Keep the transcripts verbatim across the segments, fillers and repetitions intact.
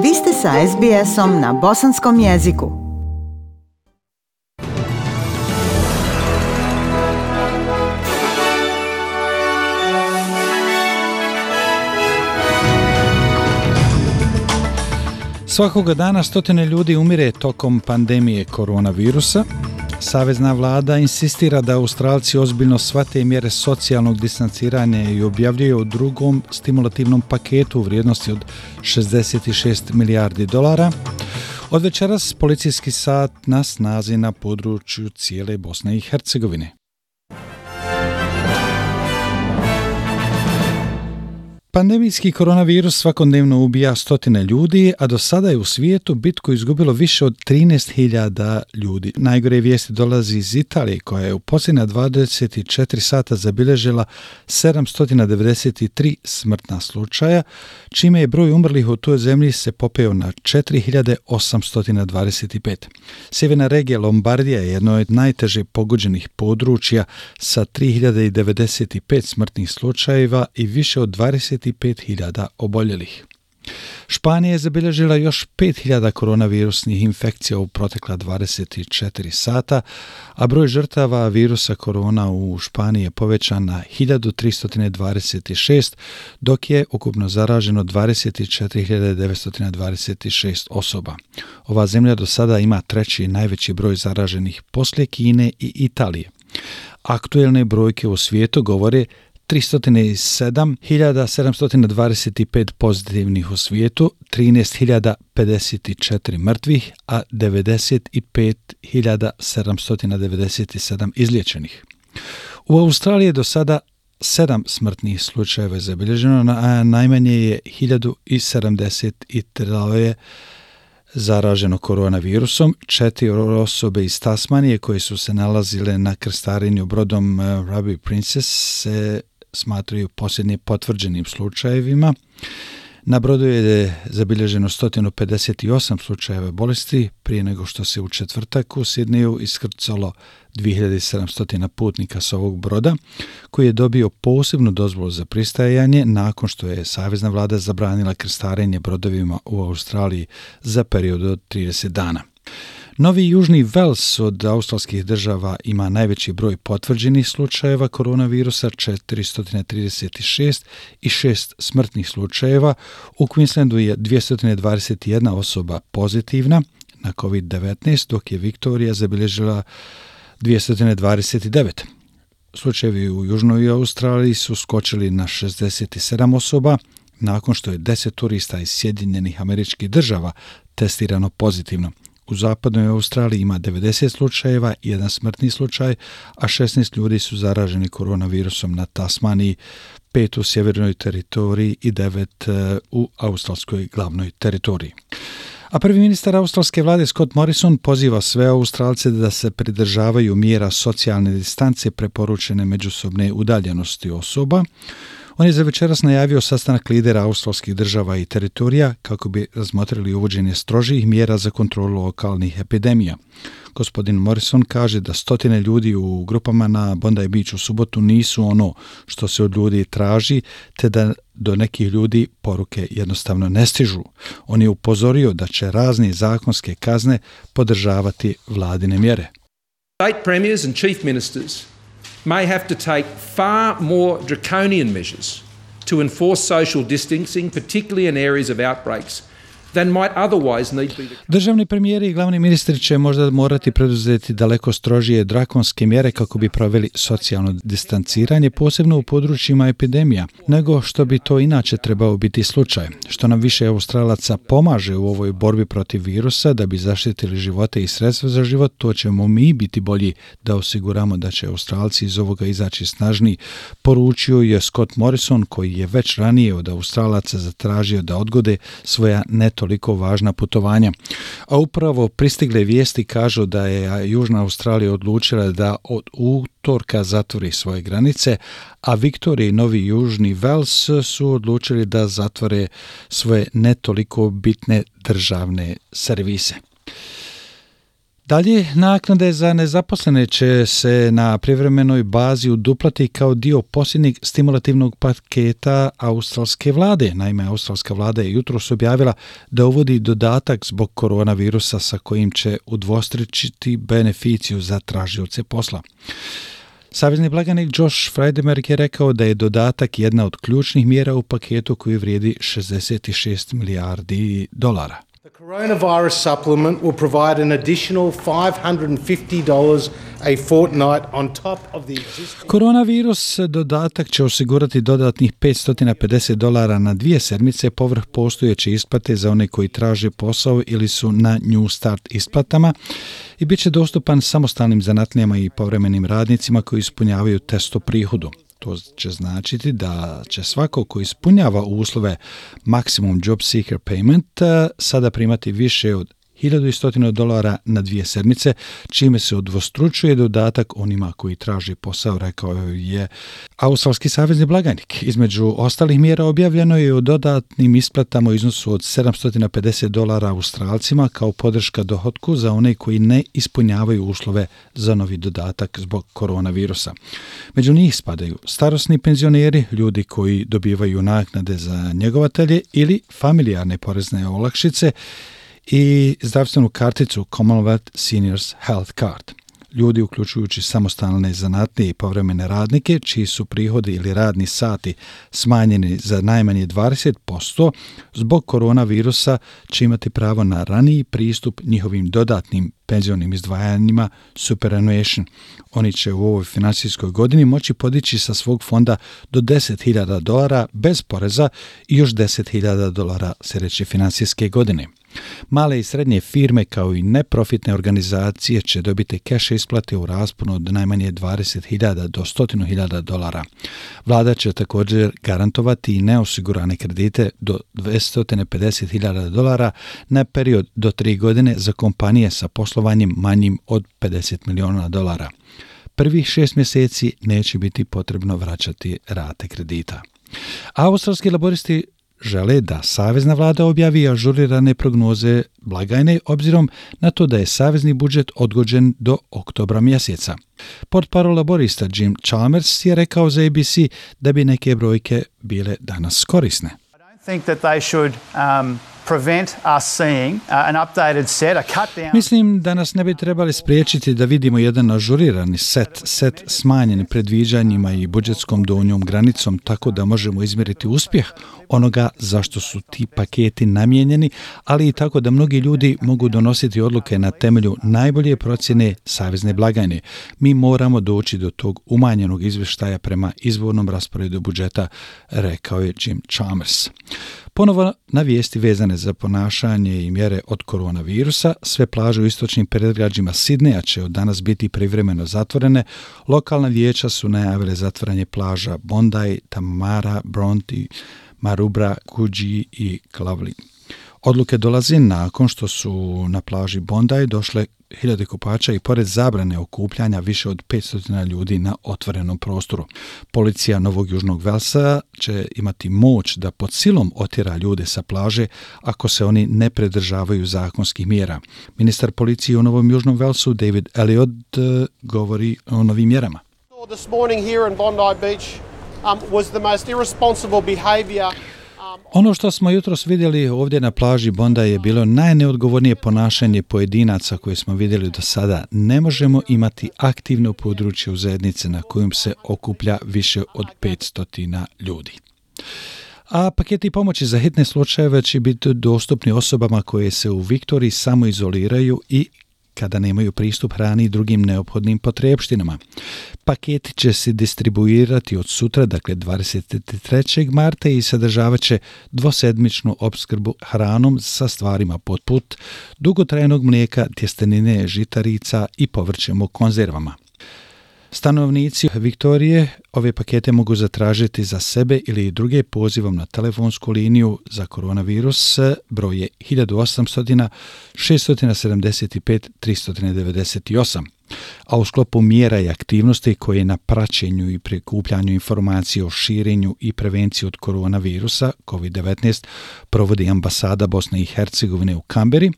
Vi ste sa es bi esom na bosanskom jeziku. Svakoga dana stotine ljudi umire tokom pandemije koronavirusa. Savezna vlada insistira da Australci ozbiljno shvate mjere socijalnog distanciranja i objavljuje o drugom stimulativnom paketu u vrijednosti od šezdeset šest milijardi dolara. Od večeras policijski sat na snazi na području cijele Bosne i Hercegovine. Pandemijski koronavirus svakodnevno ubija stotine ljudi, a do sada je u svijetu bitku izgubilo više od trinaest hiljada ljudi. Najgore vijesti dolazi iz Italije, koja je u posljednja dvadeset četiri sata zabilježila sedamsto devedeset tri smrtna slučaja, čime je broj umrlih u toj zemlji se popeo na četiri hiljade osamsto dvadeset pet. Sjeverna regija Lombardija je jedno od najteže pogođenih područja sa tri hiljade devedeset pet smrtnih slučajeva i više od dvadeset pet hiljada oboljelih. Španija je zabilježila još pet hiljada koronavirusnih infekcija u protekla dvadeset četiri sata, a broj žrtava virusa korona u Španiji je povećan na hiljadu tristo dvadeset šest, dok je ukupno zaraženo dvadeset četiri hiljade devetsto dvadeset šest osoba. Ova zemlja do sada ima treći najveći broj zaraženih poslije Kine i Italije. Aktuelne brojke u svijetu govore tristo sedam hiljada sedamsto dvadeset pet pozitivnih u svijetu, trinaest hiljada pedeset četiri mrtvih, a devedeset pet hiljada sedamsto devedeset sedam izliječenih. U Australiji je do sada sedam smrtnih slučajeva zabilježeno, a najmanje je hiljadu sedamdeset tri zaraženo koronavirusom. Četiri osobe iz Tasmanije koje su se nalazile na krstarenju brodom Ruby Princess se smatraju posljednje potvrđenim slučajevima. Na brodu je zabilježeno sto pedeset osam slučajeva bolesti prije nego što se u četvrtak u Sidneju iskrcalo dvije hiljade sedamsto putnika s ovog broda, koji je dobio posebnu dozvolu za pristajanje nakon što je savezna vlada zabranila krstarenje brodovima u Australiji za period od trideset dana. Novi Južni Vels od australskih država ima najveći broj potvrđenih slučajeva koronavirusa, četiristo trideset šest i šest smrtnih slučajeva. U Queenslandu je dvjesto dvadeset jedna osoba pozitivna na kovid devetnaest, dok je Viktorija zabilježila dvjesto dvadeset devet. Slučajevi u Južnoj Australiji su skočili na šezdeset sedam osoba, nakon što je deset turista iz Sjedinjenih Američkih Država testirano pozitivno. U zapadnoj Australiji ima devedeset slučajeva, jedan smrtni slučaj, a šesnaest ljudi su zaraženi koronavirusom na Tasmaniji, pet u sjevernoj teritoriji i devet u australskoj glavnoj teritoriji. A prvi ministar australske vlade Scott Morrison poziva sve Australce da se pridržavaju mjera socijalne distance preporučene međusobne udaljenosti osoba. On je za večeras najavio sastanak lidera australskih država i teritorija kako bi razmotrili uvođenje strožih mjera za kontrolu lokalnih epidemija. Gospodin Morrison kaže da stotine ljudi u grupama na Bondi Beach u subotu nisu ono što se od ljudi traži, te da do nekih ljudi poruke jednostavno ne stižu. On je upozorio da će razne zakonske kazne podržavati vladine mjere. State premiers and chief ministers may have to take far more draconian measures to enforce social distancing, particularly in areas of outbreaks, than might otherwise need be the... Državni premijeri i glavni ministri će možda morati preduzeti daleko strožije drakonske mjere kako bi proveli socijalno distanciranje, posebno u područjima epidemija, nego što bi to inače trebao biti slučaj. Što nam više Australaca pomaže u ovoj borbi protiv virusa da bi zaštitili živote i sredstva za život, to ćemo mi biti bolji da osiguramo da će Australci iz ovoga izaći snažniji, poručio je Scott Morrison, koji je već ranije od Australaca zatražio da odgode svoja neto toliko važna putovanja. A upravo pristigle vijesti kažu da je Južna Australija odlučila da od utorka zatvori svoje granice, a Viktorija i Novi Južni Vels su odlučili da zatvore svoje ne toliko bitne državne servise. Dalje, naknade za nezaposlene će se na privremenoj bazi uduplati kao dio posljednjeg stimulativnog paketa australske vlade. Naime, australska vlada je jutros objavila da uvodi dodatak zbog koronavirusa sa kojim će udvostručiti beneficiju za tražioce posla. Savezni blagajnik Josh Frydenberg je rekao da je dodatak jedna od ključnih mjera u paketu koji vrijedi šezdeset šest milijardi dolara. The coronavirus supplement will provide an additional five hundred fifty dollars a fortnight on top of the existing... Koronavirus dodatak će osigurati dodatnih petsto pedeset dolara na dvije sedmice povrh postojeće isplate za one koji traže posao ili su na New Start isplatama i bit će dostupan samostalnim zanatlijama i povremenim radnicima koji ispunjavaju test o prihodu. To će značiti da će svako ko ispunjava uslove Maximum Job Seeker Payment sada primati više od hiljadu sto dolara na dvije sedmice, čime se udvostručuje dodatak onima koji traži posao, rekao je australski savezni blagajnik. Između ostalih mjera objavljeno je o dodatnim isplatama u iznosu od sedamsto pedeset dolara Australcima kao podrška dohotku za one koji ne ispunjavaju uslove za novi dodatak zbog koronavirusa. Među njih spadaju starosni penzioneri, ljudi koji dobivaju naknade za njegovatelje ili familijarne porezne olakšice i zdravstvenu karticu Commonwealth Seniors Health Card. Ljudi, uključujući samostalne zanatne i povremene radnike, čiji su prihodi ili radni sati smanjeni za najmanje dvadeset posto zbog koronavirusa, će imati pravo na raniji pristup njihovim dodatnim penzionim izdvajanjima superannuation. Oni će u ovoj financijskoj godini moći podići sa svog fonda do deset hiljada dolara bez poreza i još deset hiljada dolara sljedeće financijske godine. Male i srednje firme kao i neprofitne organizacije će dobiti keš isplate u rasponu od najmanje dvadeset hiljada do sto hiljada dolara. Vlada će također garantovati i neosigurane kredite do dvjesto pedeset hiljada dolara na period do tri godine za kompanije sa poslovanjem manjim od pedeset miliona dolara. Prvih šest mjeseci neće biti potrebno vraćati rate kredita. Australski laboristi žele da savezna vlada objavi ažurirane prognoze blagajne obzirom na to da je savezni budžet odgođen do oktobra mjeseca. Portparol laborista Jim Chalmers je rekao za A B C da bi neke brojke bile danas korisne. I don't think that they should um, prevent us seeing uh, an updated set, a cut down. Mislim da nas ne bi trebali spriječiti da vidimo jedan ažurirani set, set smanjen predviđanjima i budžetskom donjom granicom tako da možemo izmjeriti uspjeh onoga zašto su ti paketi namijenjeni, ali i tako da mnogi ljudi mogu donositi odluke na temelju najbolje procjene savezne blagajne. Mi moramo doći do tog umanjenog izvještaja prema izvornom rasporedu budžeta, rekao je Jim Chalmers. Ponovo na vijesti vezane za ponašanje i mjere od koronavirusa, sve plaže u istočnim predgrađima Sidneja će od danas biti privremeno zatvorene. Lokalna vijeća su najavile zatvaranje plaža Bondi, Tamara, Bronte, Maroubra, Coogee i Clovelly. Odluke dolaze nakon što su na plaži Bondi došle hiljade kupača i pored zabrane okupljanja više od petsto ljudi na otvorenom prostoru. Policija Novog Južnog Velsa će imati moć da pod silom otjera ljude sa plaže ako se oni ne pridržavaju zakonskih mjera. Ministar policije u Novom Južnom Velsu David Elliott govori o novim mjerama. This morning here in Bondi Beach um, was the most irresponsible behavior. Ono što smo jutros vidjeli ovdje na plaži Bondi je bilo najneodgovornije ponašanje pojedinaca koje smo vidjeli do sada. Ne možemo imati aktivno područje u zajednici na kojem se okuplja više od petsto ljudi. A paketi pomoći za hitne slučajeve će biti dostupni osobama koje se u Viktoriji samoizoliraju i kada nemaju pristup hrani i drugim neophodnim potrebštinama. Paketi će se distribuirati od sutra, dakle dvadeset trećeg marta i sadržavat će dvosedmičnu opskrbu hranom sa stvarima poput dugotrajnog mlijeka, tjestenine, žitarica i povrćem u konzervama. Stanovnici Viktorije ove pakete mogu zatražiti za sebe ili druge pozivom na telefonsku liniju za koronavirus, broj je hiljadu osamsto šest sedamdeset pet tri devedeset osam. A u sklopu mjera i aktivnosti koje na praćenju i prikupljanju informacije o širenju i prevenciji od koronavirusa kovid devetnaest provodi ambasada Bosne i Hercegovine u Kamberi,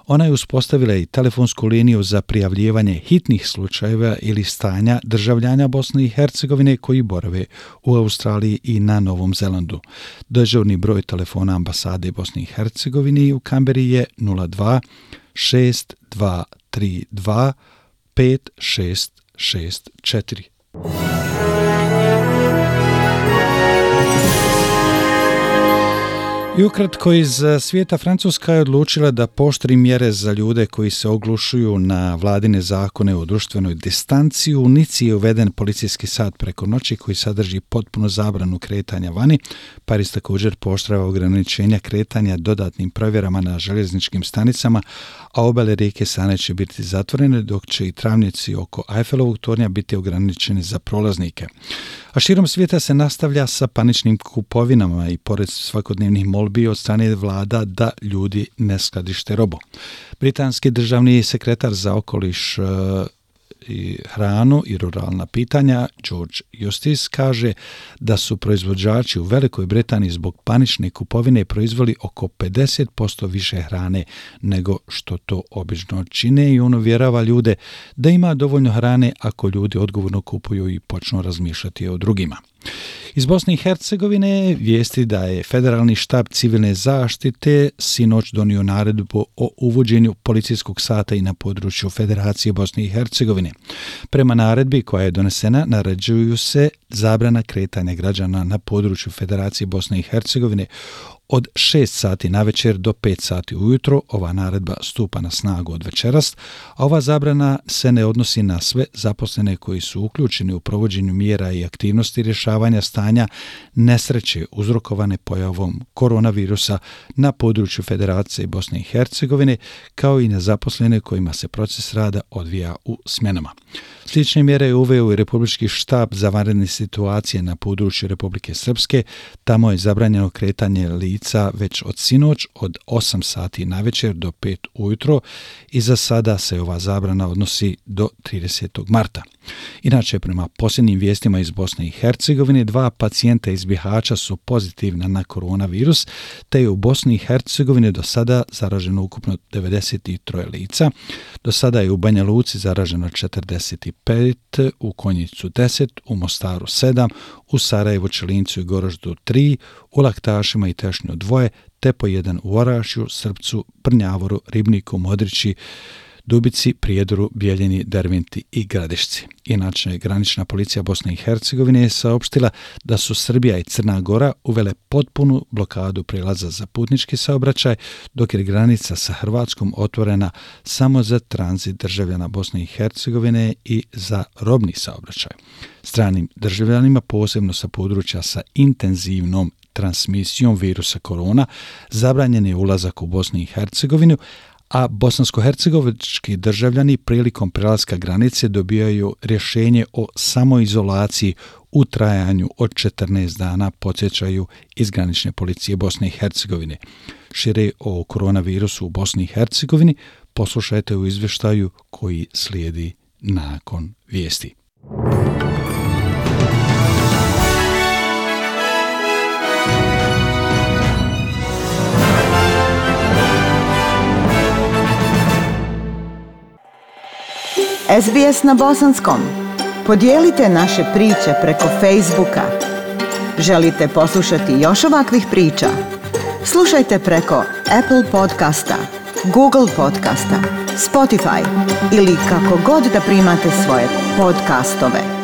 ona je uspostavila i telefonsku liniju za prijavljivanje hitnih slučajeva ili stanja državljana Bosne i Hercegovine koji borave u Australiji i na Novom Zelandu. Dežurni broj telefona ambasade Bosne i Hercegovine u Kamberi je nula dva šest dva tri dva pet šest šest četiri. I ukratko iz svijeta, Francuska je odlučila da pooštri mjere za ljude koji se oglušuju na vladine zakone o društvenoj distanci. U Nici je uveden policijski sat preko noći koji sadrži potpuno zabranu kretanja vani. Pariz također pooštrava ograničenja kretanja dodatnim provjerama na željezničkim stanicama, a obale rijeke Sane će biti zatvorene, dok će i travnjaci oko Eiffelovog tornja biti ograničeni za prolaznike. A širom svijeta se nastavlja sa paničnim kupovinama i pored svakodnevnih molbi od strane vlada da ljudi ne skladište robu. Britanski državni sekretar za okoliš i hranu i ruralna pitanja George Eustice kaže da su proizvođači u Velikoj Britaniji zbog panične kupovine proizveli oko pedeset posto više hrane nego što to obično čine i on uvjerava ljude da ima dovoljno hrane ako ljudi odgovorno kupuju i počnu razmišljati o drugima. Iz Bosne i Hercegovine vijesti da je Federalni štab civilne zaštite sinoć donio naredbu o uvođenju policijskog sata i na području Federacije Bosne i Hercegovine. Prema naredbi koja je donesena, naređuju se zabrana kretanja građana na području Federacije Bosne i Hercegovine od šest sati navečer do pet sati ujutro. Ova naredba stupa na snagu od večeras, a ova zabrana se ne odnosi na sve zaposlene koji su uključeni u provođenju mjera i aktivnosti rješavanja stanja nesreće uzrokovane pojavom koronavirusa na području Federacije Bosne i Hercegovine, kao i na zaposlene kojima se proces rada odvija u smjenama. Slične mjere je uveo i Republički štab za vanredne situacije na području Republike Srpske. Tamo je zabranjeno kretanje lica već od sinoć od osam sati navečer do pet ujutro i za sada se ova zabrana odnosi do tridesetog marta. Inače, prema posljednjim vijestima iz Bosne i Hercegovine, dva pacijenta iz Bihaća su pozitivna na koronavirus, te je u Bosni i Hercegovini do sada zaraženo ukupno devedeset tri lica. Do sada je u Banja Luci zaraženo četrdeset pet, u Konjicu deset, u Mostaru sedam, u Sarajevu, Čelincu i Goroždu tri, u Laktašima i Tešnju dvoje, te po jedan u Orašju, Srpcu, Prnjavoru, Ribniku, Modrići, Dubici, Prijedoru, Bijeljini, Derventi i Gradišci. Inače, granična policija Bosne i Hercegovine je saopštila da su Srbija i Crna Gora uvele potpunu blokadu prijelaza za putnički saobraćaj, dok je granica sa Hrvatskom otvorena samo za tranzit državljana Bosne i Hercegovine i za robni saobraćaj. Stranim državljanima, posebno sa područja sa intenzivnom transmisijom virusa korona, zabranjen je ulazak u Bosnu i Hercegovinu, a bosansko-hercegovički državljani prilikom prelaska granice dobijaju rješenje o samoizolaciji u trajanju od četrnaest dana, podsjećaju iz granične policije Bosne i Hercegovine. Šire o koronavirusu u Bosni i Hercegovini poslušajte u izvještaju koji slijedi nakon vijesti. S B S na bosanskom. Podijelite naše priče preko Facebooka. Želite poslušati još ovakvih priča? Slušajte preko Apple podcasta, Google podcasta, Spotify ili kako god da primate svoje podcastove.